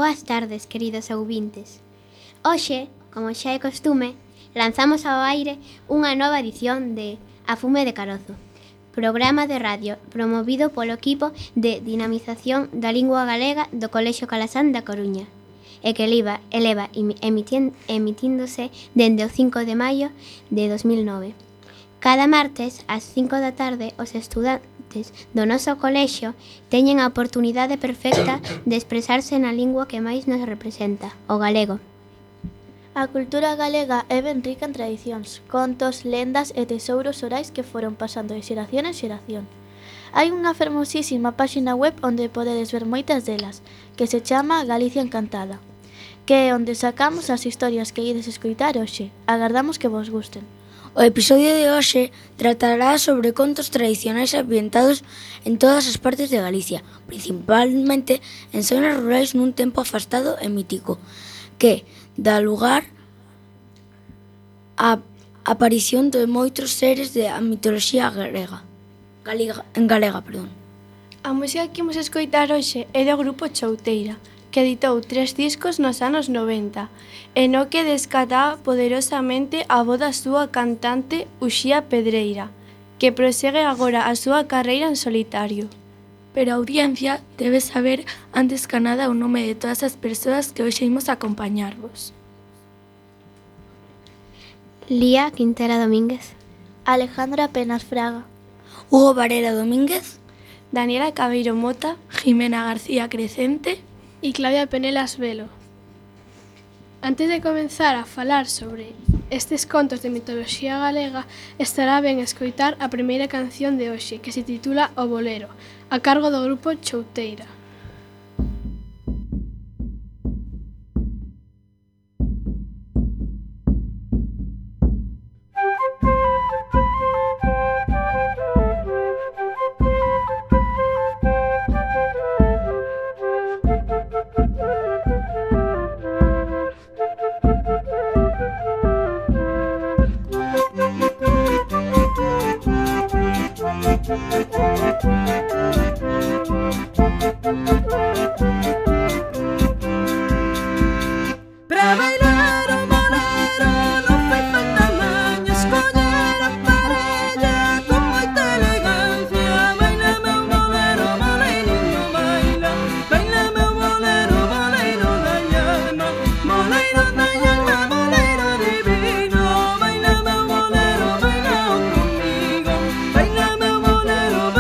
boas tardes, queridos ouvintes. Hoxe, como xa é costume, lanzamos ao aire unha nova edición de A Fume de Carozo, programa de radio promovido polo equipo de dinamización da lingua galega do Colexio Calasán da Coruña e que eleva emitíndose dende o 5 de maio de 2009. Cada martes, ás 5 da tarde, os estudantes do noso colexio teñen a oportunidade perfecta de expresarse na lingua que máis nos representa, o galego. A cultura galega é ben rica en tradicións, contos, lendas e tesouros orais que foron pasando de xeración en xeración. Hai unha fermosísima páxina web onde podedes ver moitas delas, que se chama Galicia Encantada, que é onde sacamos as historias que ides escoitar hoxe. Agardamos que vos gusten. O episodio de hoxe tratará sobre contos tradicionais ambientados en todas as partes de Galicia, principalmente en zonas rurais nun tempo afastado e mítico, que dá lugar á aparición de moitos seres da mitoloxía galega. A música que imos escoitar hoxe é do grupo Chouteira, que editou 3 discos nos anos 90, e no que descata poderosamente a voz da súa cantante Uxía Pedreira, que prosegue agora a súa carreira en solitario. Pero a audiencia debe saber antes que nada o nome de todas as persoas que hoxe imos acompañarvos. Lía Quintera Domínguez, Alejandra Penas Fraga, Hugo Varela Domínguez, Daniela Cabeiro Mota, Jimena García Crecente e Claudia Penelas Velo. Antes de comenzar a falar sobre estes contos de mitoloxía galega, estará ben escoitar a primeira canción de hoxe, que se titula O Bolero, a cargo do grupo Chouteira. Baila meu bolero,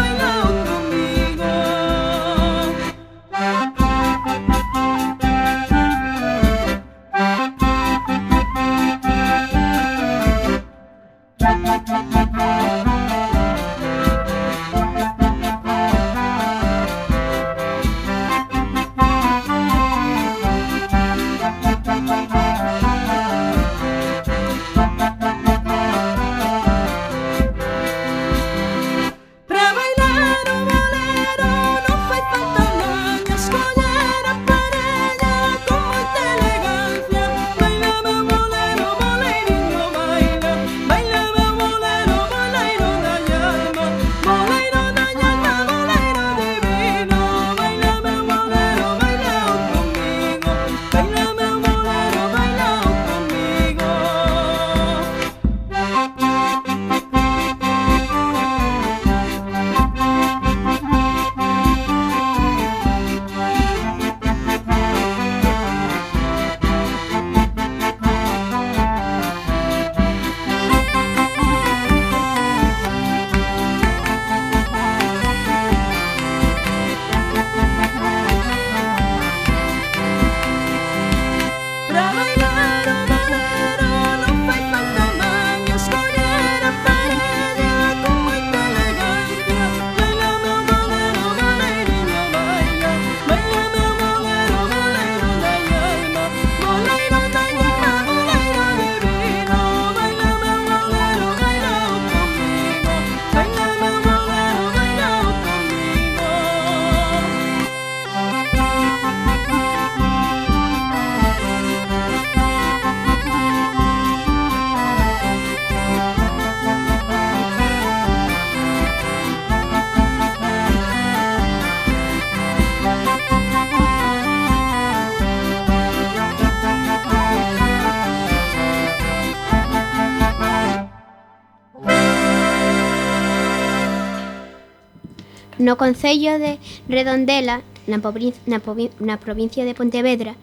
No concello de Redondela, na provincia de Pontevedra,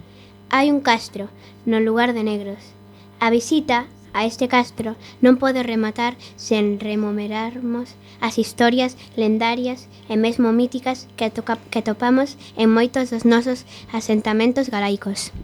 hai un castro no lugar de Negros. A visita a este castro non pode rematar sen rememorarmos as historias lendarias e mesmo míticas que topamos en moitos dos nosos asentamentos galaicos.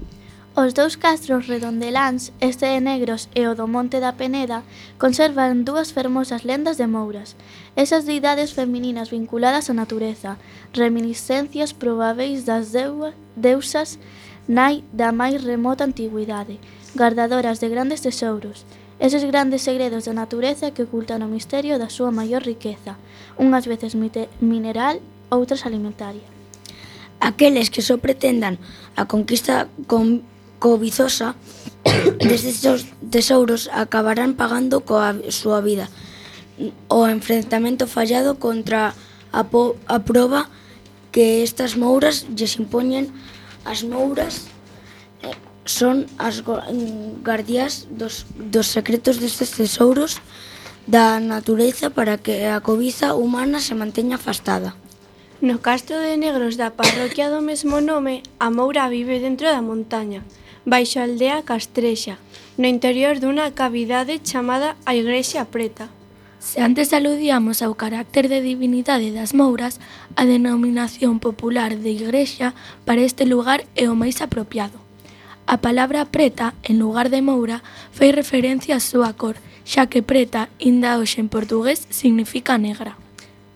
Os dous castros redondeláns, este de Negros e o do Monte da Peneda, conservan dúas fermosas lendas de mouras. Esas deidades femininas vinculadas á natureza, reminiscencias probáveis das deusas nai da máis remota antigüidade, guardadoras de grandes tesouros, eses grandes segredos da natureza que ocultan o misterio da súa maior riqueza, unhas veces mineral, outras alimentaria. Aqueles que só pretendan a conquista cobizosa destes tesouros acabarán pagando coa súa vida o enfrentamento fallado contra a proba que estas mouras lles impoñen. As mouras son as guardiás dos secretos destes tesouros da natureza para que a cobiza humana se manteña afastada. No castro de Negros da parroquia do mesmo nome, a moura vive dentro da montaña, baixo a aldea Castrexa, no interior dunha cavidade chamada a Igrexa Preta. Se antes aludíamos ao carácter de divinidade das mouras, a denominación popular de igrexa para este lugar é o máis apropiado. A palabra preta, en lugar de moura, fai referencia á súa cor, xa que preta, inda hoxe en portugués, significa negra.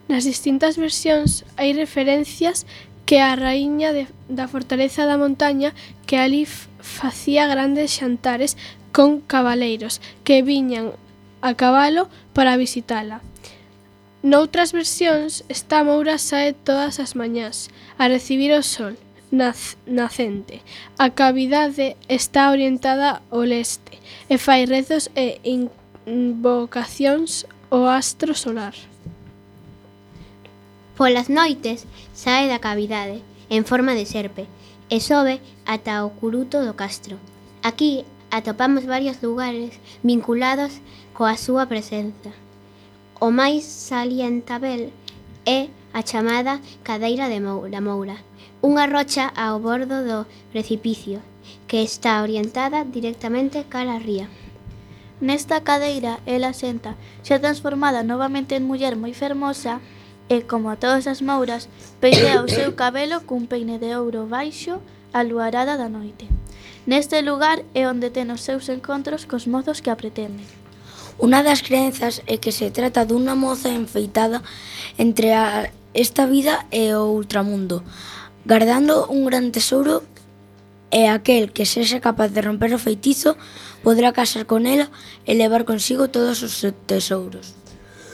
Nas distintas versións hai referencias que a raíña da fortaleza da montaña que ali facía grandes xantares con cabaleiros que viñan a cabalo para visitala. Noutras versións, esta moura sae todas as mañás a recibir o sol nacente. A cavidade está orientada ao leste e fai rezos e invocacións ao astro solar. Polas noites sae da cavidade en forma de serpe e sobe ata o curuto do castro. Aquí atopamos varios lugares vinculados coa súa presenza. O máis salientável é a chamada cadeira da moura, unha rocha ao bordo do precipicio que está orientada directamente cara á ría. Nesta cadeira, ela senta, xa transformada novamente en muller moi fermosa, e, como a todas as mouras, peitea o seu cabelo cun peine de ouro baixo a luarada da noite. Neste lugar é onde ten os seus encontros cos mozos que a pretenden. Unha das crenzas é que se trata dunha moza enfeitada entre esta vida e o ultramundo, guardando un gran tesouro, e aquel que sexa capaz de romper o feitizo podrá casar con ela e levar consigo todos os tesouros.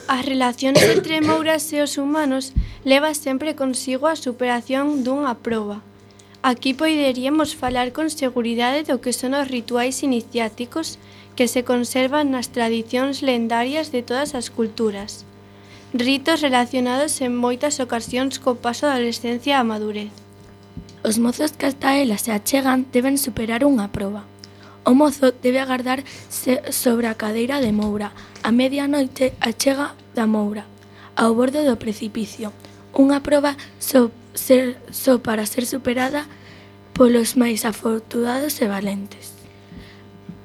As relacións entre mouras e os humanos leva sempre consigo a superación dunha proba. Aquí poderíamos falar con seguridade do que son os rituais iniciáticos que se conservan nas tradicións lendarias de todas as culturas. Ritos relacionados en moitas ocasións co paso da adolescencia á madurez. Os mozos que ata ela se achegan deben superar unha proba. O mozo debe agardar sobre a cadeira de moura. A medianoite achega da moura, ao borde do precipicio. Unha proba só para ser superada polos máis afortunados e valentes.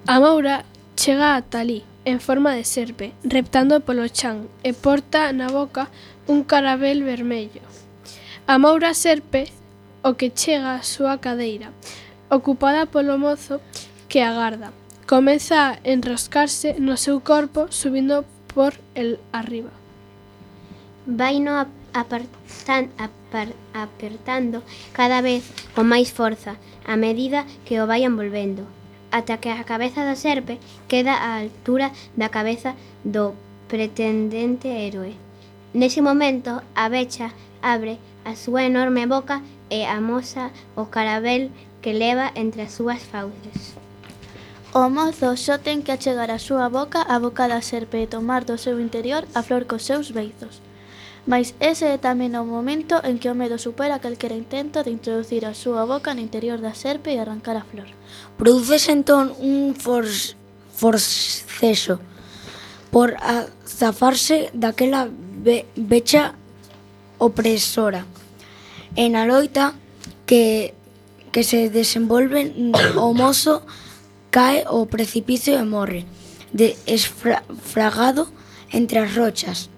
A moura chega ata alí, en forma de serpe, reptando polo chan, e porta na boca un carabel vermello. A moura serpe o que chega á súa cadeira, ocupada polo mozo que agarda. Comeza a enroscarse no seu corpo, subindo por el arriba. Vaino apertando cada vez con máis forza a medida que o vai envolvendo, ata que a cabeza da serpe queda á altura da cabeza do pretendente héroe. Nese momento, a becha abre a súa enorme boca e amosa o carabel que leva entre as súas fauces. O mozo só ten que achegar a súa boca á boca da serpe e tomar do seu interior a flor cos seus beizos. Mais ese é tamén o momento en que o medo supera calquera intento de introducir a súa boca no interior da serpe e arrancar a flor. Prodúcese entón un forceso por zafarse daquela becha opresora. E na loita que se desenvolve o mozo cae ao precipicio e morre, esfragado entre as rochas.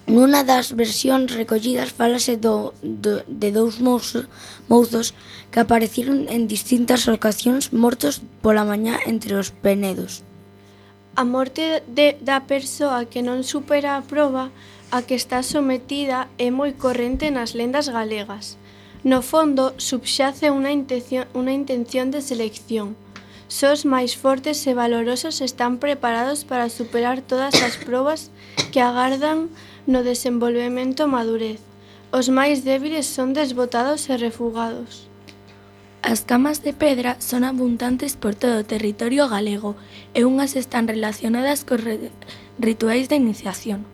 Nunha das versións recollidas fálase de dous mozos que apareceron en distintas ocasións mortos pola mañá entre os penedos. A morte da persoa que non supera a proba a que está sometida é moi corrente nas lendas galegas. No fondo, subxace unha intención de selección. Só os máis fortes e valorosos están preparados para superar todas as probas que agardan no desenvolvemento madurez. Os máis débiles son desbotados e refugados. As camas de pedra son abundantes por todo o territorio galego e unhas están relacionadas cos rituais de iniciación,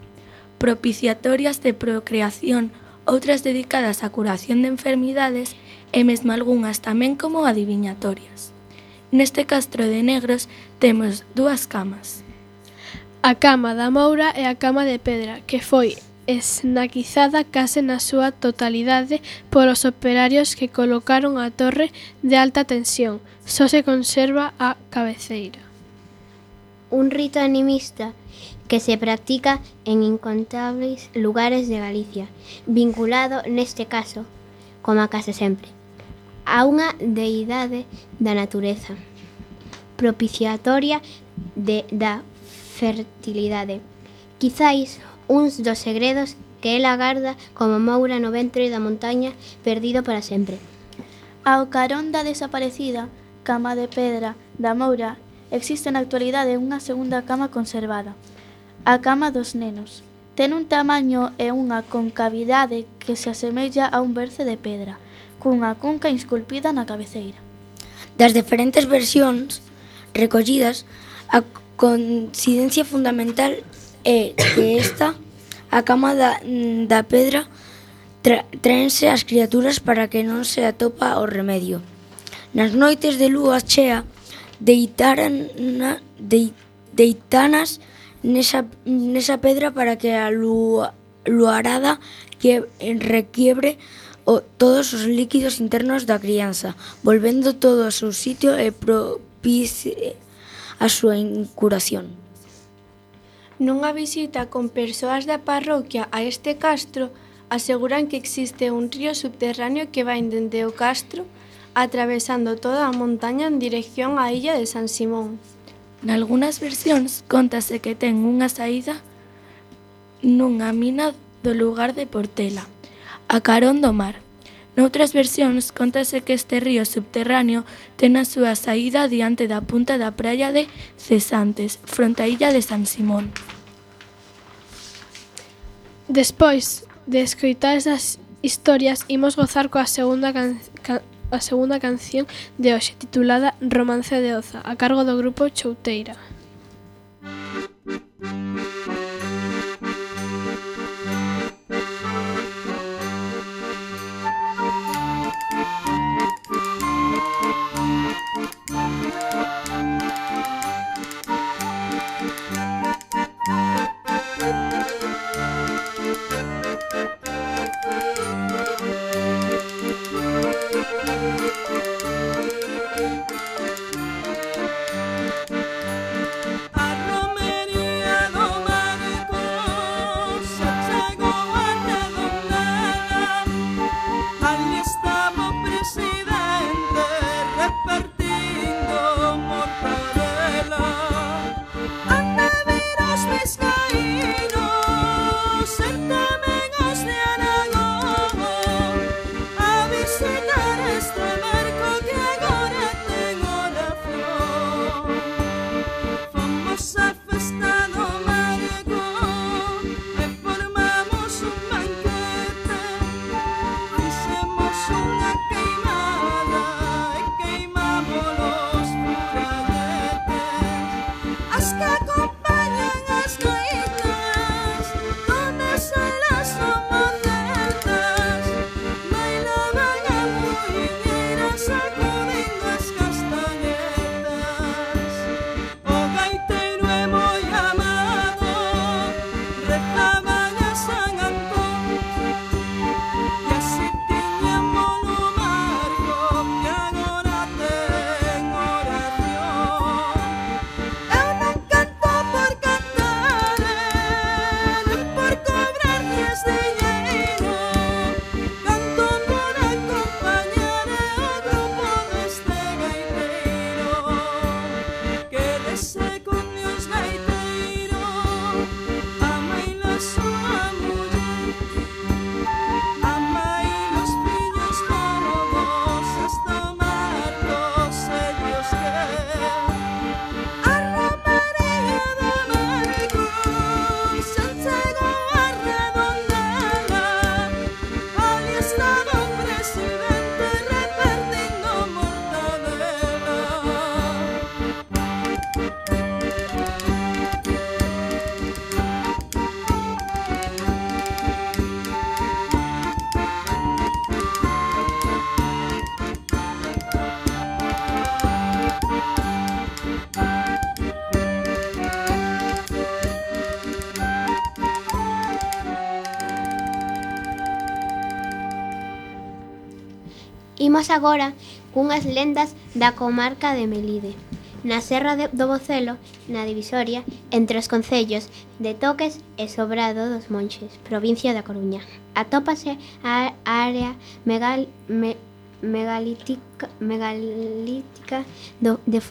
propiciatorias de procreación, outras dedicadas á curación de enfermidades e mesmo algunhas tamén como adiviñatorias. Neste castro de Negros temos dúas camas. A cama da Moura e a cama de pedra, que foi esnaquizada case na súa totalidade polos operarios que colocaron a torre de alta tensión. Só se conserva a cabeceira. Un rito animista que se practica en incontables lugares de Galicia, vinculado, neste caso, como a case sempre, a unha deidade da natureza, propiciatoria da fertilidade. Quizáis uns dos segredos que ela garda como Moura no ventre da montaña perdido para sempre. Ao carón da desaparecida cama de pedra da Moura existe na actualidade unha segunda cama conservada, a cama dos nenos. Ten un tamaño e unha concavidade que se asemella a un berce de pedra, cunha cunca esculpida na cabeceira. Das diferentes versións recollidas, a coincidencia fundamental é que a cama da pedra, traense as criaturas para que non se atopa o remedio. Nas noites de lúa chea, deitanas nesa pedra para que a luarada requiebre todos os líquidos internos da crianza, volvendo todo ao seu sitio e propicie a súa incuración. Nunha visita con persoas da parroquia a este castro, aseguran que existe un río subterráneo que vai dende o castro, atravesando toda a montaña en dirección á illa de San Simón. Nalgúnas versións contase que ten unha saída nunha mina do lugar de Portela, a carón do mar. Noutras versións contase que este río subterráneo ten a súa saída diante da punta da praia de Cesantes, fronte á illa de San Simón. Despois de escoitar esas historias, imos gozar coa segunda canción de hoxe, titulada Romance de Oza, a cargo do grupo Chouteira. Imos agora cunhas lendas da comarca de Melide. Na Serra do Bocelo, na divisoria, entre os concellos de Toques e Sobrado dos Monxes, provincia da Coruña. Atópase a área megalítica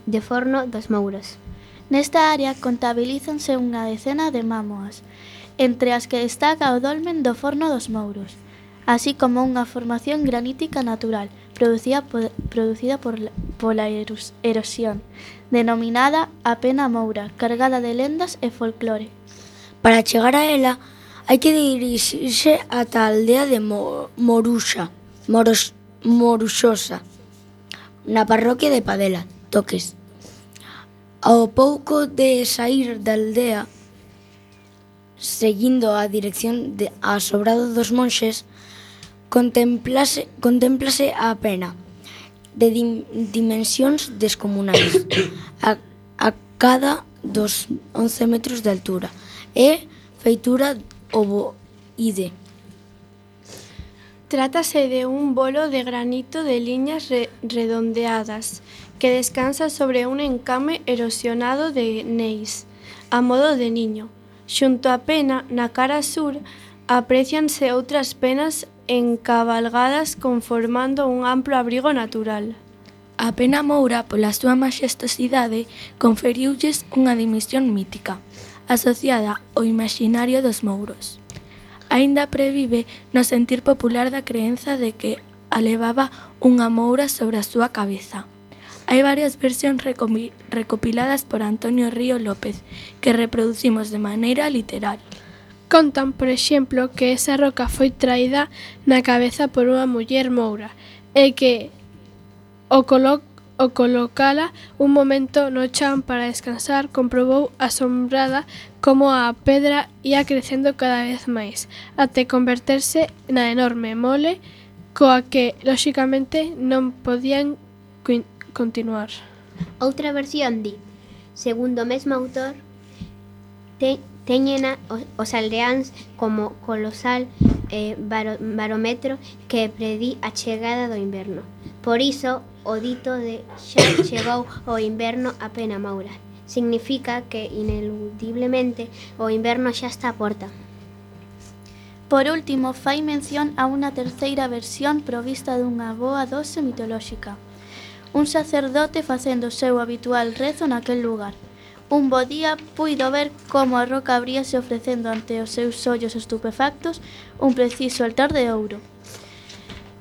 de Forno dos Mouros. Nesta área contabilízanse unha decena de mámoas, entre as que destaca o dolmen do Forno dos Mouros, así como unha formación granítica natural producida pola erosión, denominada a Pena Moura, cargada de lendas e folclore. Para chegar a ela, hai que dirixirse ata a aldea de Moruxosa, na parroquia de Padela, Toques. Ao pouco de saír da aldea, seguindo a dirección a Sobrado dos Monxes, contémplase a pena, de dimensións descomunais, a cada dos 11 metros de altura, e feitura ovoide. Trátase de un bolo de granito de liñas redondeadas que descansa sobre un encame erosionado de neis, a modo de niño. Xunto á pena, na cara sur, aprécianse outras penas encabalgadas conformando un amplo abrigo natural. A Pena Moura, pola súa maxestosidade, conferiulles unha dimisión mítica, asociada ao imaxinario dos mouros. Aínda previve no sentir popular da creenza de que a levaba unha moura sobre a súa cabeza. Hai varias versións recopiladas por Antonio Río López, que reproducimos de maneira literal. Contan, por exemplo, que esa roca foi traída na cabeza por unha muller moura e que o colocala un momento no chan para descansar, comprobou asombrada como a pedra ia crecendo cada vez máis, até converterse na enorme mole coa que, lóxicamente, non podían continuar. Outra versión di, segundo o mesmo autor, teñena os aldeáns como colosal barómetro que predí a chegada do inverno. Por iso, o dito de xa chegou o inverno a Pena Moura significa que, ineludiblemente, o inverno xa está á porta. Por último, fai mención a unha terceira versión provista dunha boa dose mitolóxica. Un sacerdote facendo o seu habitual rezo naquel lugar. Un bo día puido ver como a roca abríase ofrecendo ante os seus ollos estupefactos un preciso altar de ouro.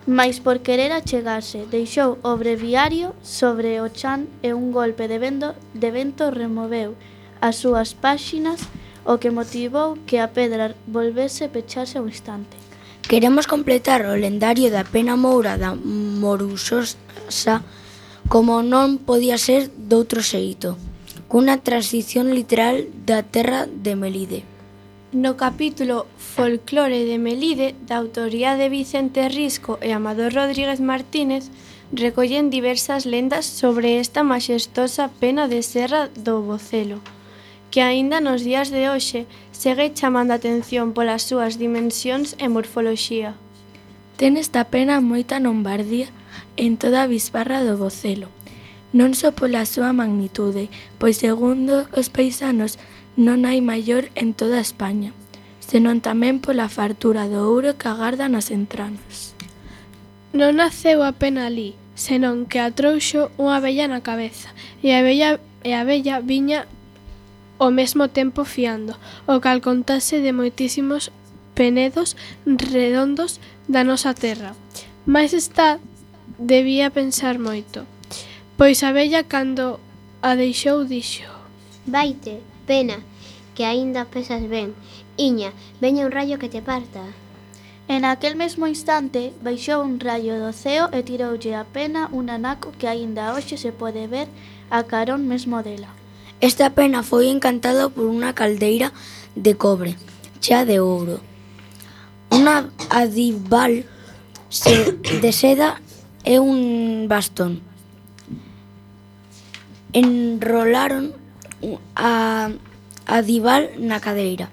Mais por querer achegarse, deixou o breviario sobre o chan e un golpe de vento removeu as súas páxinas, o que motivou que a pedra volvese pecharse ao instante. Queremos completar o lendario da Pena Moura da Moruxosa como non podía ser doutro xeito, cunha transición literal da terra de Melide. No capítulo Folclore de Melide, da autoría de Vicente Risco e Amador Rodríguez Martínez, recollen diversas lendas sobre esta maxestosa pena de Serra do Bocelo, que aínda nos días de hoxe segue chamando a atención polas súas dimensións e morfoloxía. Ten esta pena moita lombardía en toda a bisbarra do Bocelo, non só pola súa magnitude, pois segundo os paisanos non hai maior en toda España, senón tamén pola fartura do ouro que agarda nas entranas. Non naceu a pena alí, senón que a trouxo unha abella na cabeza, e a abella viña ao mesmo tempo fiando, o cal contase de moitísimos penedos redondos da nosa terra. Mais esta debía pensar moito, pois a abella cando a deixou dixo: Vaite, pena, que aínda pesas ben. Iña, veña un rayo que te parta. En aquel mesmo instante, baixou un rayo do ceo e tiroulle a pena un anaco que aínda hoxe se pode ver a carón mesmo dela. Esta pena foi encantada por unha caldeira de cobre, chea de ouro. Unha adival de seda e un bastón. Enrolaron a adival na cadeira,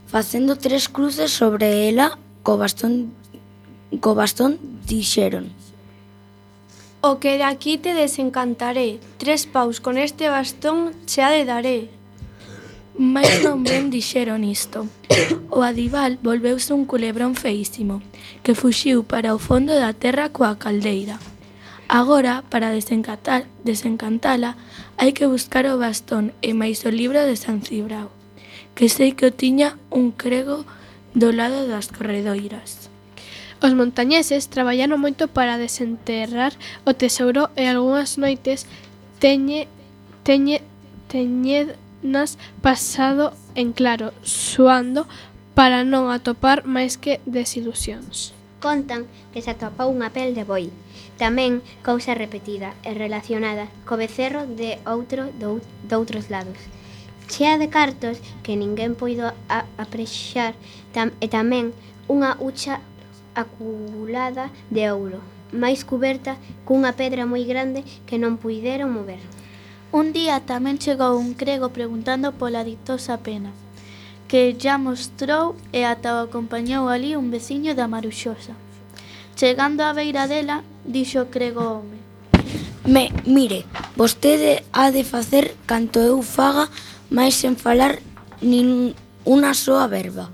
facendo 3 cruces sobre ela co bastón dixeron: O que de aquí te desencantaré, 3 paus con este bastón xa de daré. Mais non ben dixeron isto. O adival volveuse un culebrón feísimo, que fuxiu para o fondo da terra coa caldeira. Agora, para desencantala, hai que buscar o bastón e máis o libro de San Cibrao, que sei que o tiña un crego do lado das corredoiras. Os montañeses traballaron moito para desenterrar o tesouro e algunhas noites teñenas pasado en claro, suando para non atopar máis que desilusións. Contan que se atopou unha pel de boi, tamén cousa repetida e relacionada co becerro de outros lados, chea de cartos que ninguén puido aprexar e tamén unha hucha aculada de ouro, máis cuberta cunha pedra moi grande que non puideron mover. Un día tamén chegou un crego preguntando pola ditosa pena, que ya mostrou e ata o acompañou ali un veciño da Maruxosa. Chegando á beira dela, dixo o crego ao home: Mire, vostede ha de facer canto eu faga, máis sen falar nin unha soa verba.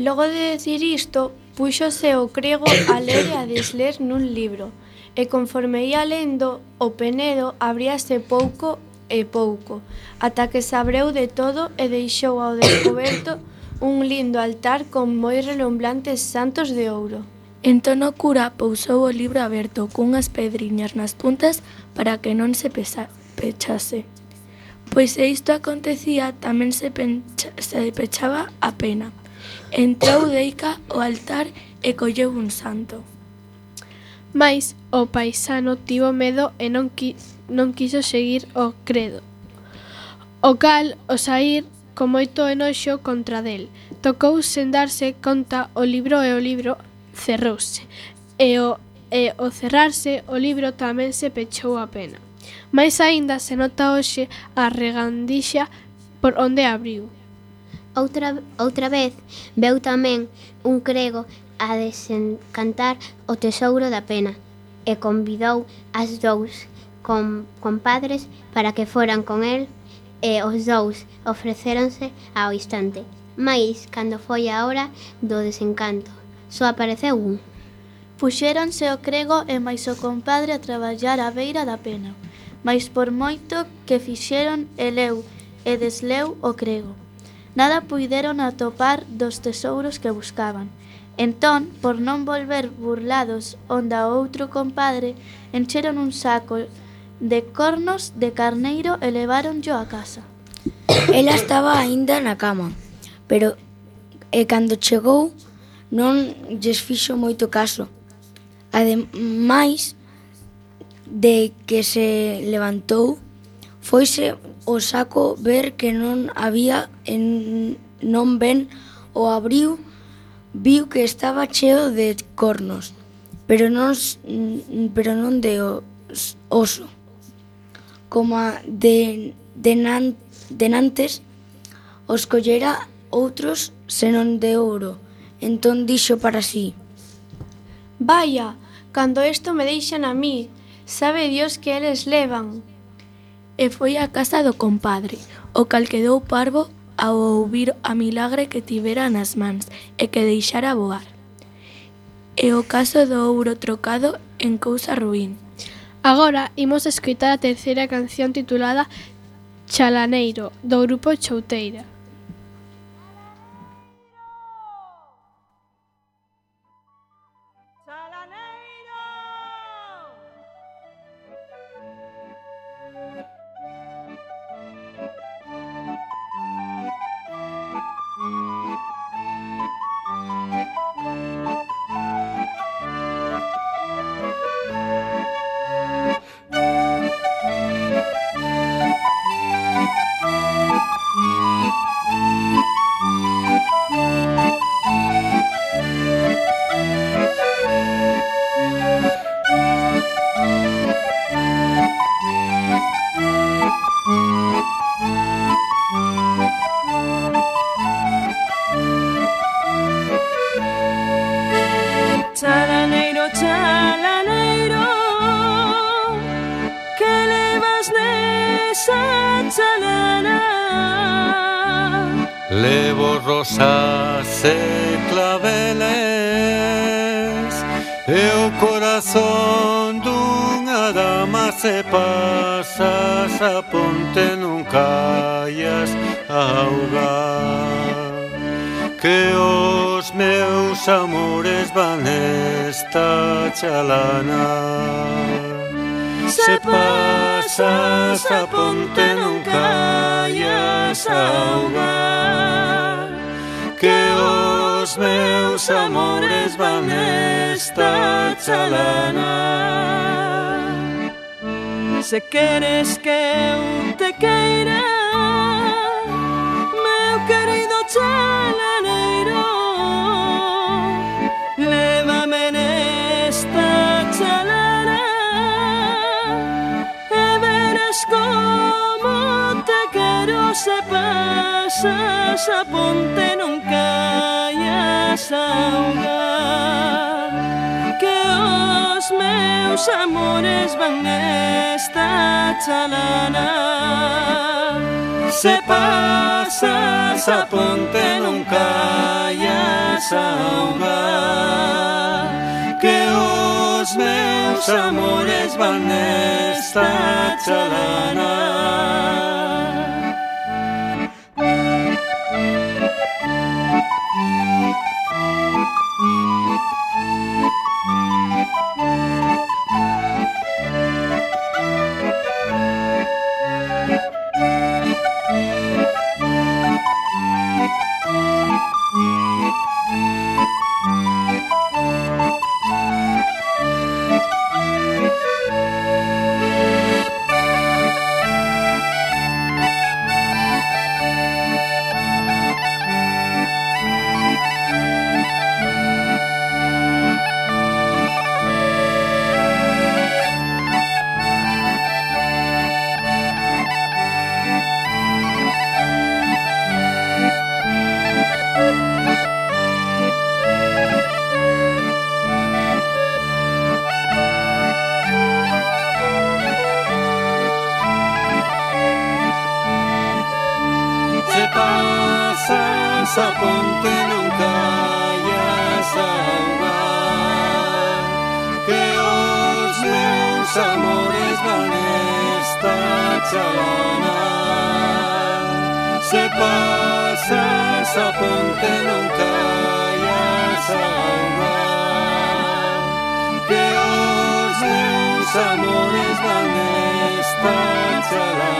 Logo de decir isto, púxose o crego a ler e a desler nun libro, e conforme ia lendo, o penedo abríase pouco e pouco, ata que se abreu de todo e deixou ao descoberto un lindo altar con moi relumbrantes santos de ouro. Entón o cura pousou o libro aberto cunhas pedriñas nas puntas para que non se pechase. Pois se isto acontecía, tamén se pechaba a pena. Entrou deica o altar e colleu un santo. Mais o paisano tivo medo e non quiso seguir o credo. O cal, ao saír, con moito enoxo contra del, tocou sen darse conta o libro cerrouse. E ao cerrarse, o libro tamén se pechou a pena. Mais aínda se nota hoxe a regandixa por onde abriu. Outra vez veu tamén un crego a desencantar o tesouro da pena e convidou as dous compadres para que foran con el e os dous ofrecéronse ao instante. Mais, cando foi a hora do desencanto, só apareceu un. Puxéronse o crego e máis o compadre a traballar á beira da pena, mais por moito que fixeron eleu e desleu o crego, nada puideron atopar dos tesouros que buscaban. Entón, por non volver burlados onda o outro compadre, encheron un saco de cornos de carneiro e leváronllo a casa. Ela estaba aínda na cama, pero cando chegou non lles fixo moito caso. Ademais de que se levantou, foise o saco ver que non había e non ben o abriu, viu que estaba cheo de cornos, pero non de oso, como denantes os collera outros senón de ouro. Entón dixo para sí: Vaya, cando isto me deixan a mí, sabe Dios que eles levan. E foi á casa do compadre, o cal quedou parvo ao ouvir a milagre que tivera nas mans e que deixara voar. E o caso do ouro trocado en cousa ruín. Agora imos escoitar a terceira canción titulada Chalaneiro, do grupo Chouteira. Chalaneiro, chalaneiro, rosa chalana. Levo rosas e claveles e o corazón dunha dama se pasas a ponte non caias a augar, que os meus amores van esta chalana. Se pasas a ponte non caias a augar, que os meus amores van esta chalana. Se queres que eu te queira, meu querido chalaneiro, lévame nesta chalana e verás como te quero. Se pasas a ponte non caias a augar, que os meus amores van esta chalana. Se pasas a ponte non caias a augar, que os meus amores van esta chalana. Se pasas a ponte non caias a augar, que os meus amores van esta chalana. Se pasas a ponte non caias a augar, que os meus amores van esta chalana.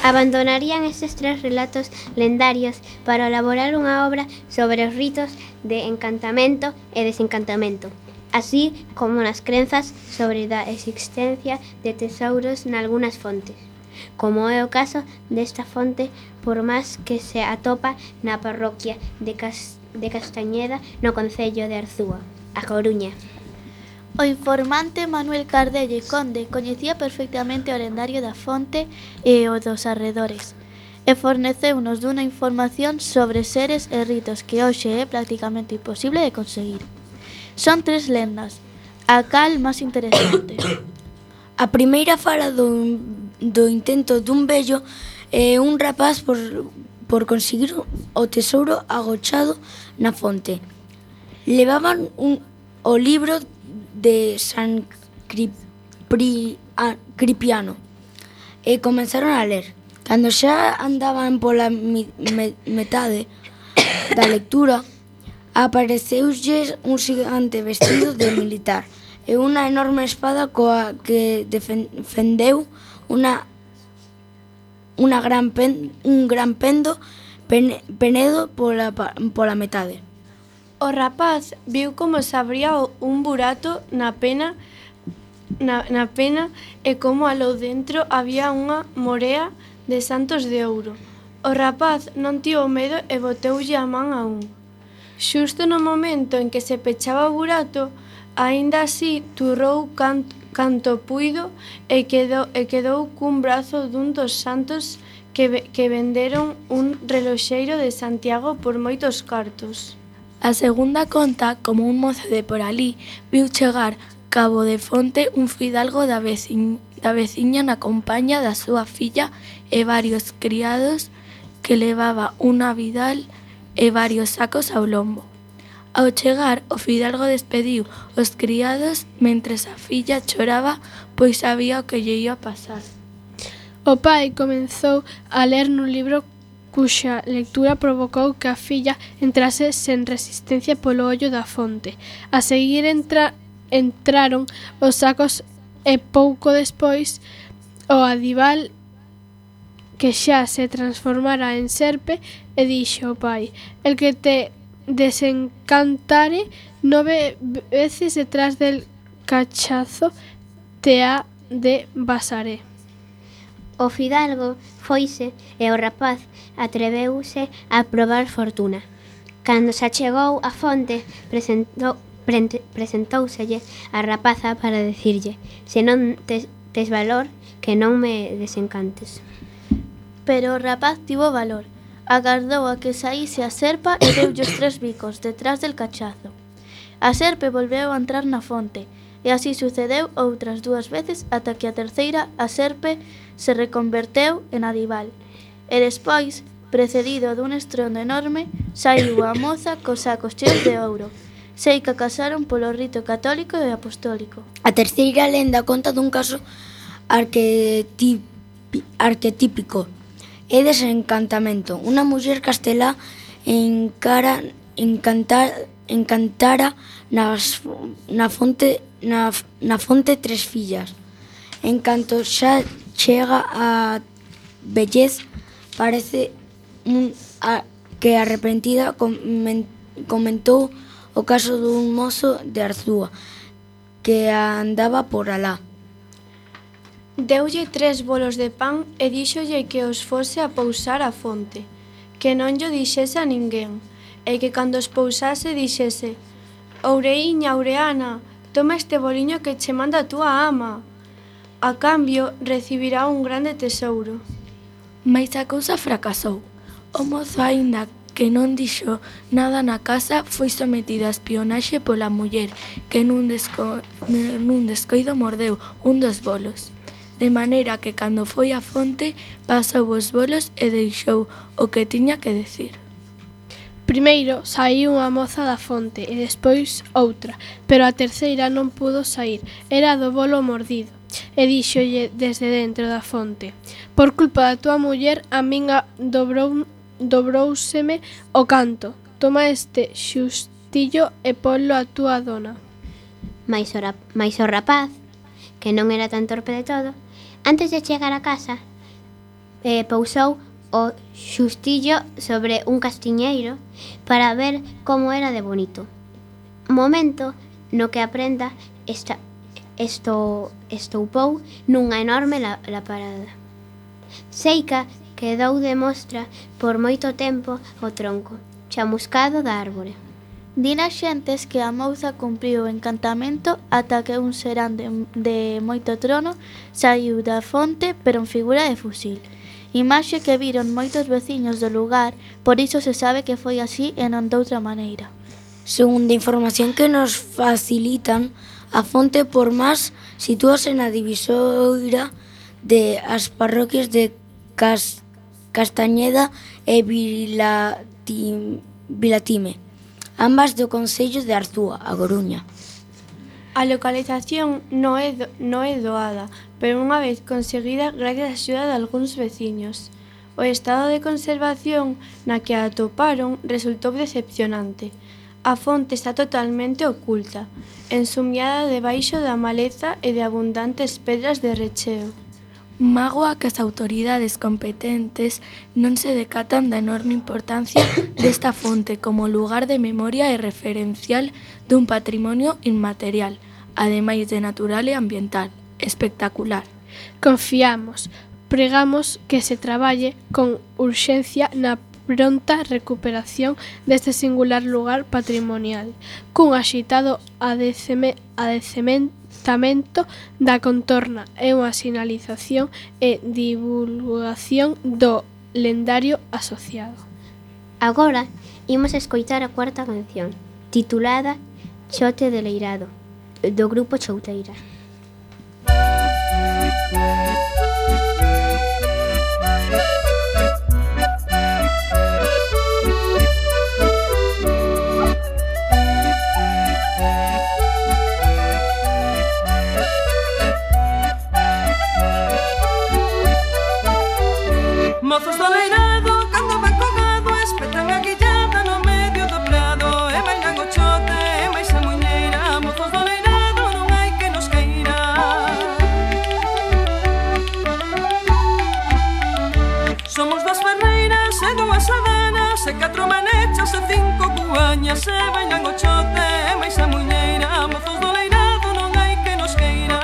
Abandonarían estes tres relatos lendarios para elaborar unha obra sobre os ritos de encantamento e desencantamento, así como nas crenzas sobre a existencia de tesouros nalgunhas fontes, como é o caso desta fonte, por máis que se atopa na parroquia de Castañeda, no concello de Arzúa, A Coruña. O informante Manuel Cardelle Conde coñecía perfectamente o lendario da fonte e o dos arredores, e forneceunos dunha información sobre seres e ritos que hoxe é prácticamente imposible de conseguir. Son tres lendas, a cal máis interesante. A primeira fala do intento dun vello e un rapaz por conseguir o tesouro agochado na fonte. Levaban o libro de San Cripiano e comenzaron a ler. Cando xa andaban pola metade da lectura, apareceulles un xigante vestido de militar e unha enorme espada coa que defendeu un gran penedo pola metade. O rapaz viu como se abría un burato na pena e como aló dentro había unha morea de santos de ouro. O rapaz non tivo medo e boteulle a man a un. Xusto no momento en que se pechaba o burato, aínda así turrou canto puido e quedou cun brazo dun dos santos que venderon un reloxeiro de Santiago por moitos cartos. A segunda conta como un mozo de por alí viu chegar cabo de fonte un fidalgo da veciña na compaña da súa filla e varios criados que levaba unha vidal e varios sacos ao lombo. Ao chegar, o fidalgo despediu os criados mentres a filla choraba pois sabía o que lle ia pasar. O pai comezou a ler nun libro cuxa lectura provocou que a filla entrase sen resistencia polo ollo da fonte. A seguir entraron os sacos e pouco despois o adival que xa se transformara en serpe e dixo o pai: el que te desencantare 9 veces detrás del cachazo te ha de basaré. O fidalgo foise e o rapaz atreveuse a probar fortuna. Cando se achegou á fonte, presentóuselle a rapaza para dicirlle: se non tes valor, que non me desencantes. Pero o rapaz tivo valor. Agardou a que saíse a serpa e deulle os 3 bicos detrás del cachazo. A serpe volveu a entrar na fonte, e así sucedeu outras 2 veces ata que a terceira a serpe se reconverteu en adival. E despois, precedido dun estrondo enorme, saiu a moza cos sacos cheos de ouro. Sei que casaron polo rito católico e apostólico. A terceira lenda conta dun caso arquetípico e desencantamento. Unha muller castelá encantara na fonte 3 fillas. En canto xa chega a vellez, parece que arrepentida comentou o caso dun mozo de Arzúa que andaba por alá. Deulle 3 bolos de pan e díxolle que os fose a pousar á fonte, que non llo dixese a ninguén, e que cando os pousase dixese: Oureiña, Aureana, toma este boliño que che manda a túa ama. A cambio, recibirá un grande tesouro. Mais a cousa fracasou. O mozo, aínda que non dixo nada na casa, foi sometido a espionaxe pola muller, que nun descoido mordeu un dos bolos. De maneira que cando foi á fonte, pasou os bolos e deixou o que tiña que decir. Primeiro saíu unha moza da fonte e despois outra, pero a terceira non pudo saír, era do bolo mordido. E díxolle desde dentro da fonte: por culpa da tua muller a min dobrouseme o canto. Toma este xustillo e ponlo a túa dona. Mais o rapaz, que non era tan torpe de todo, antes de chegar a casa, pousou o xustillo sobre un castiñeiro para ver como era de bonito. Momento no que a prenda estoupou nunha enorme laparada. Seica quedou de mostra por moito tempo o tronco chamuscado da árbore. Din as xentes que a mouza cumpriu o encantamento ata que un serán de moito trono saiu da fonte pero en figura de fusil. Imaxe que viron moitos veciños do lugar, por iso se sabe que foi así e non doutra maneira. Segundo a información que nos facilitan, a fonte por Mas sitúase na divisoira de as parroquias de Castañeda e Vilatime, ambas do concello de Arzúa, a Coruña. A localización non é doada, pero unha vez conseguida gracias á axuda de algúns veciños. O estado de conservación na que a atoparon resultou decepcionante. A fonte está totalmente oculta, ensumiada debaixo da maleza e de abundantes pedras de recheo. Mágoa que as autoridades competentes non se decatan da enorme importancia desta fonte como lugar de memoria e referencial dun patrimonio inmaterial, ademais de natural e ambiental, espectacular. Confiamos, pregamos que se traballe con urxencia na pronta recuperación deste singular lugar patrimonial, cun axitado adecementamento da contorna e unha sinalización e divulgación do lendario asociado. Agora, imos escoitar a cuarta canción, titulada Chote de Leirado, do grupo Chouteira. Mozos do leirado, cando van co gado, espetan a guillada no medio do prado, e bailan o chote, e máis a muñeira. Mozos do leirado, non hai que nos queira. Somos das ferreiras e dúas adanas, e 4 manechas e 5 cuañas, e bailan o chote, e máis a muñeira. Mozos do leirado, non hai que nos queira.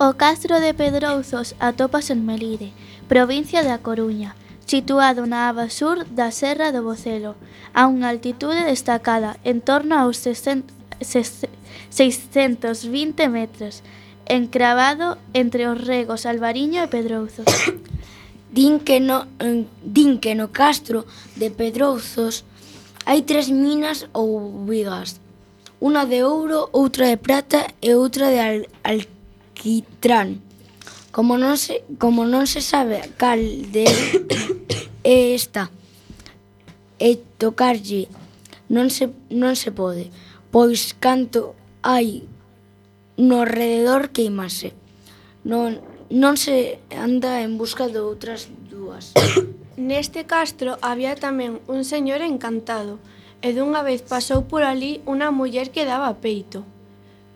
O castro de Pedrouzos atópase en Melide, provincia da Coruña, situado na aba sur da Serra do Bocelo, a unha altitude destacada en torno aos 620 metros, encravado entre os regos Albariño e Pedrouzos. Din que no castro de Pedrouzos Hai 3 minas ou vigas, unha de ouro, outra de prata e outra de alquitrán. Como non se sabe cal de é esta e tocarlle non se pode, pois canto hai no rededor queimase. Non se anda en busca de outras dúas. Neste castro había tamén un señor encantado, e dunha vez pasou por ali unha muller que daba peito.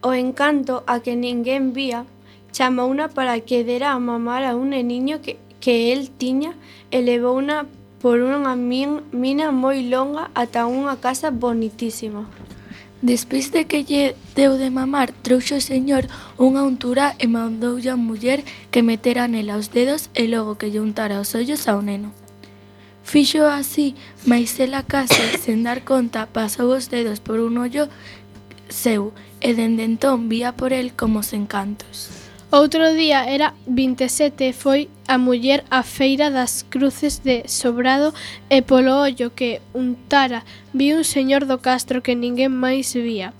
O encanto a que ninguén vía chamouna para que dera a mamar a un neniño que el tiña e levouna por unha mina moi longa ata unha casa bonitísima. Despois de que lle deu de mamar, trouxo o señor unha untura e mandoulle a muller que metera nela os dedos e logo que lle untara os ollos ao neno. Fixo así, mais ela case, sen dar conta, pasou os dedos por un ollo seu e dende entón vía por el como os encantos. Outro día era 27 e foi a muller á feira das cruces de Sobrado e polo ollo que untara viu un señor do castro que ninguén máis vía.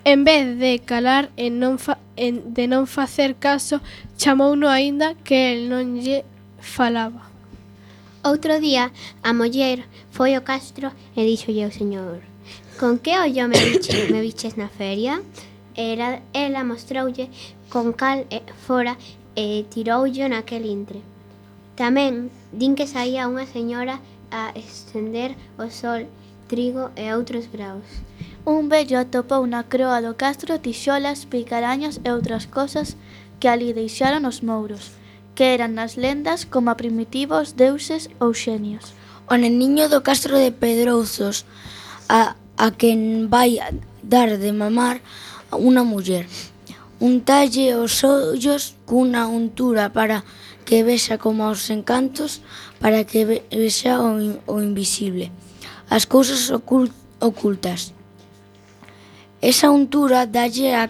En vez de calar e de non facer caso, chamouno aínda que el non lle falaba. Outro día a muller foi ao castro e díxolle ao señor: "Con que ollo me viches na feria?" Ela mostroulle con cal fora e tiroullo naquel intre. Tamén din que saía unha señora a estender o sol, trigo e outros graos. Un vello atopou na croa do castro tixolas, picarañas e outras cosas que ali deixaron os mouros, que eran nas lendas como primitivos deuses ou xenios. O neniño do castro de Pedrouzos a quen vai dar de mamar unha muller. Untalle os ollos cunha untura para que vexa como os encantos, para que vexa o invisible, as cousas ocultas. Esa untura dalle a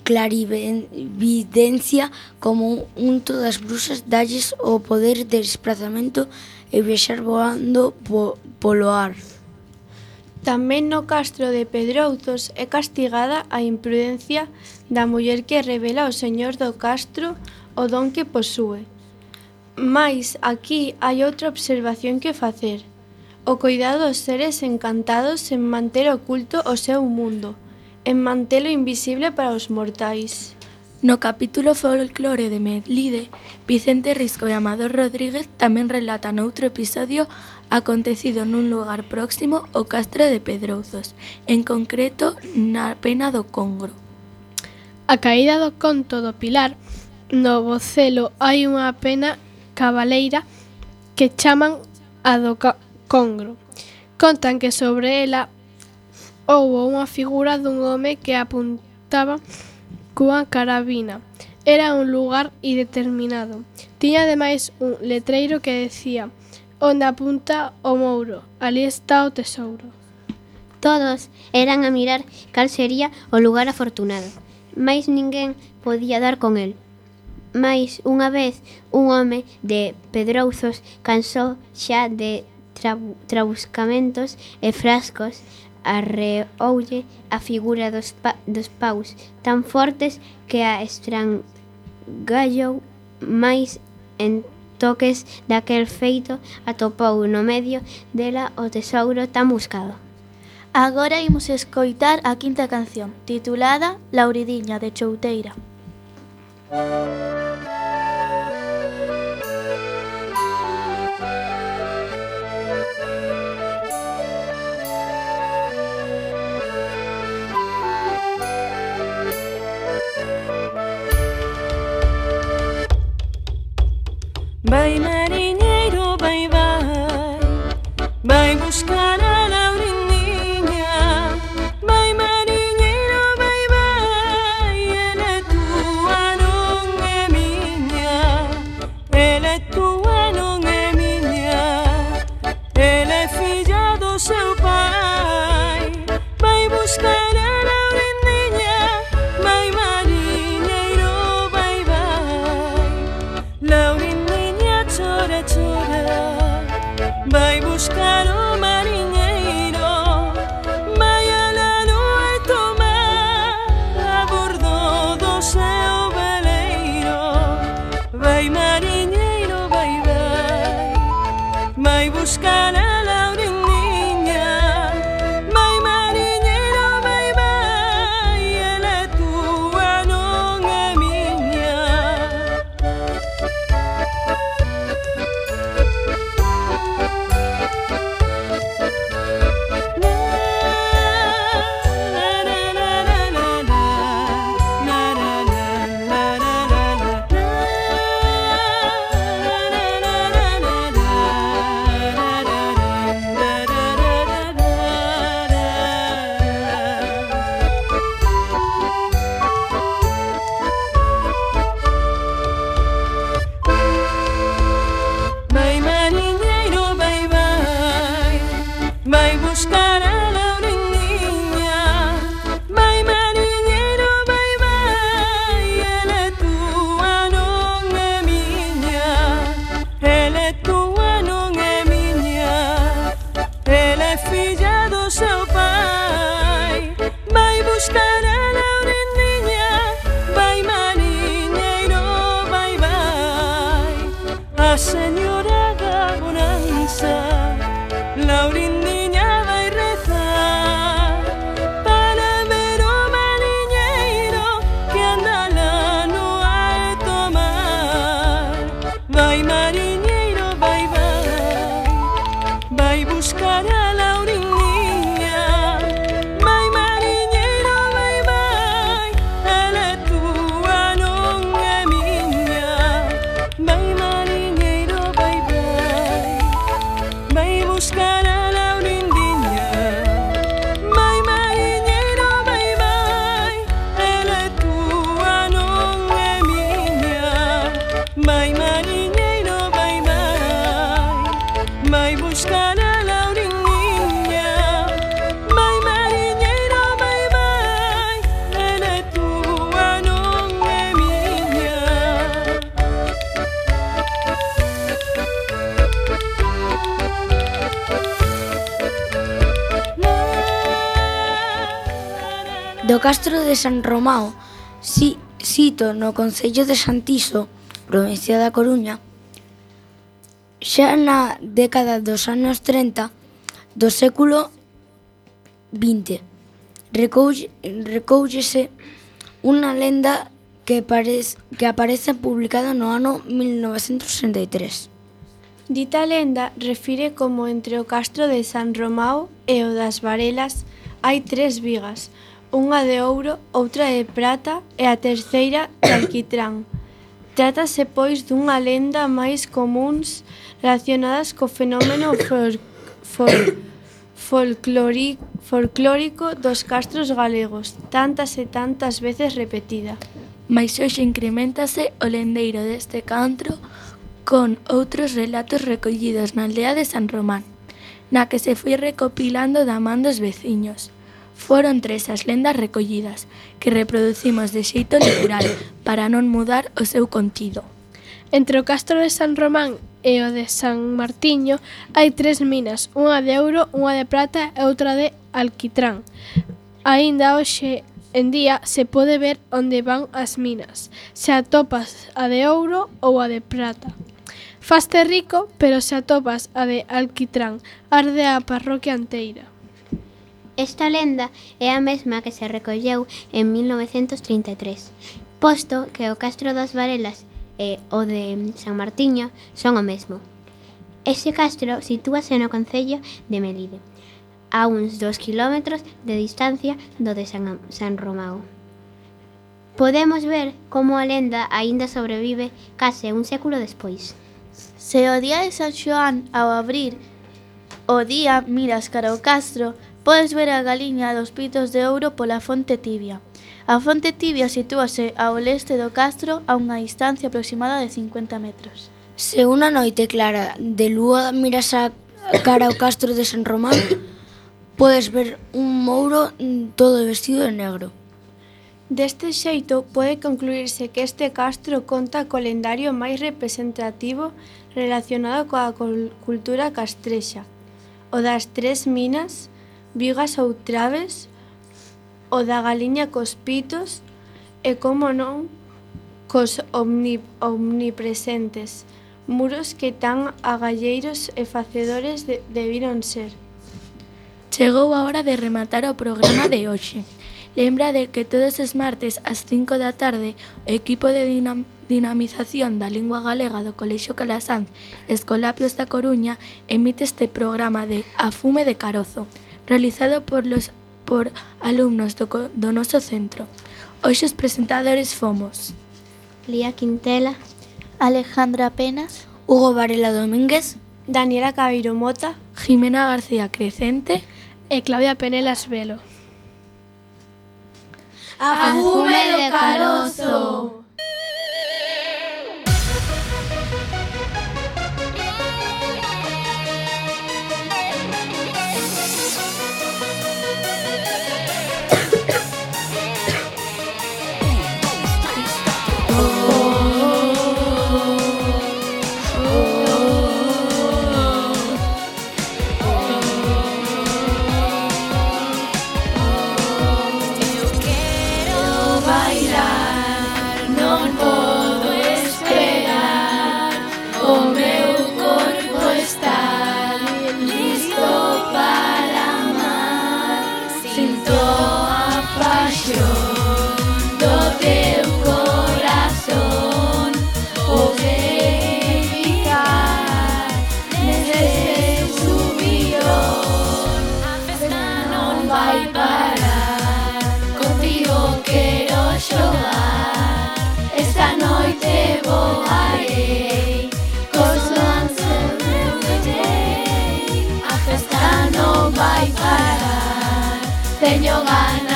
clarividencia como unto das bruxas, dalles o poder de desprazamento e viaxar voando polo ar. Tamén no castro de Pedrouzos é castigada a imprudencia da muller que revela ao señor do castro o don que posúe. Mais aquí hai outra observación que facer: o coidado dos seres encantados en manter oculto o seu mundo, en mantelo invisible para os mortais. No capítulo Folclore de Melide, Vicente Risco e Amador Rodríguez tamén relatan outro episodio acontecido nun lugar próximo ao castro de Pedrouzos, en concreto na pena do Congro. A caída do conto do Pilar, no Bocelo hai unha pena cabaleira que chaman a do Congro. Contan que sobre ela houbo unha figura dun home que apuntaba cunha carabina. Era un lugar indeterminado. Tiña ademais un letreiro que decía: "Onde apunta o mouro, ali está o tesouro". Todos eran a mirar cal sería o lugar afortunado, mais ninguén podía dar con el. Mais unha vez un home de Pedrouzos cansou xa de trabuscamentos e frascos, arreoulle a figura dos paus tan fortes que a estrangallou, mais en toques daquel feito atopou no medio dela o tesouro tan buscado. Agora imos escoitar a quinta canción, titulada Lauridiña, de Chouteira. Vai mariñeiro, vai, vai, vai buscar a Lauridiña. Vai mariñeiro, vai, vai, ela é tua, non é miña. Ela é tua, non é miña. Ela é filla do seu pai. Vai buscar a Lauridiña. Vai mariñeiro, vai, vai, Lauridiña chora, chora, vai buscar o mariñeiro. Laurindiña vai rezar para ver o mariñeiro que anda lá no alto mar. Vai mariñeiro, vai, vai, vai buscar a Laurindiña. Vai mariñeiro, vai, vai, ela é tua, non é miña. Vai mariñeiro, vai, vai, vai buscar a Laurindiña. Vai mariñeiro, vai, vai, ela é tua, non é miña. Vai mariñeiro, vai, vai, vai buscar a Laurindiña. Vai mariñeiro, vai, vai, ela é tua, non é miña. Do Castro de San Romao, sito no concello de Santiso, provincia da Coruña, xa na década dos anos 30 do século XX, recóllese unha lenda que aparece publicada no ano 1963. Dita lenda refire como entre o Castro de San Romao e o das Varelas hai 3 vigas, unha de ouro, outra de prata e a terceira de alquitrán. Trátase, pois, dunha lenda máis comuns relacionadas co fenómeno folclórico dos castros galegos, tantas e tantas veces repetida. Mais hoxe incrementase o lendeiro deste cantro con outros relatos recollidos na aldea de San Román, na que se foi recopilando da man dos veciños. Foron 3 as lendas recollidas, que reproducimos de xeito literal para non mudar o seu contido. Entre o Castro de San Román e o de San Martiño hai 3 minas, unha de ouro, unha de prata e outra de alquitrán. Aínda hoxe en día se pode ver onde van as minas, se atopas a de ouro ou a de prata. Faste rico, pero se atopas a de alquitrán, arde a parroquia enteira. Esta lenda é a mesma que se recolleu en 1933, posto que o Castro das Varelas e o de San Martiño son o mesmo. Ese castro sitúase no concello de Melide, a uns 2 kilómetros de distancia do de San Romao. Podemos ver como a lenda aínda sobrevive case un século despois. Se o día de San Xoán, ao abrir o día, miras cara ao castro, podes ver a galiña dos pitos de ouro pola Fonte Tibia. A Fonte Tibia sitúase ao leste do castro a unha distancia aproximada de 50 metros. Se unha noite clara de lúa miras a cara ao Castro de San Román, podes ver un mouro todo vestido de negro. Deste xeito, pode concluirse que este castro conta co calendario máis representativo relacionado coa cultura castrexa, o das 3 minas, vigas ou traves, o da galiña cos pitos e, como non, cos omnipresentes muros que tan agalleiros e facedores debiron ser. Chegou a hora de rematar o programa de hoxe. Lembra de que todos os martes ás 5 da tarde o equipo de dinamización da lingua galega do Colexio Calasanz Escolapios da Coruña emite este programa de A Fume de Carozo, realizado por alumnos do noso centro. Hoxe os presentadores fomos Lía Quintela, Alejandra Penas, Hugo Varela Domínguez, Daniela Cabeiro Mota, Jimena García Crecente e Claudia Penelas Velo. A fume de carozo. teño ganas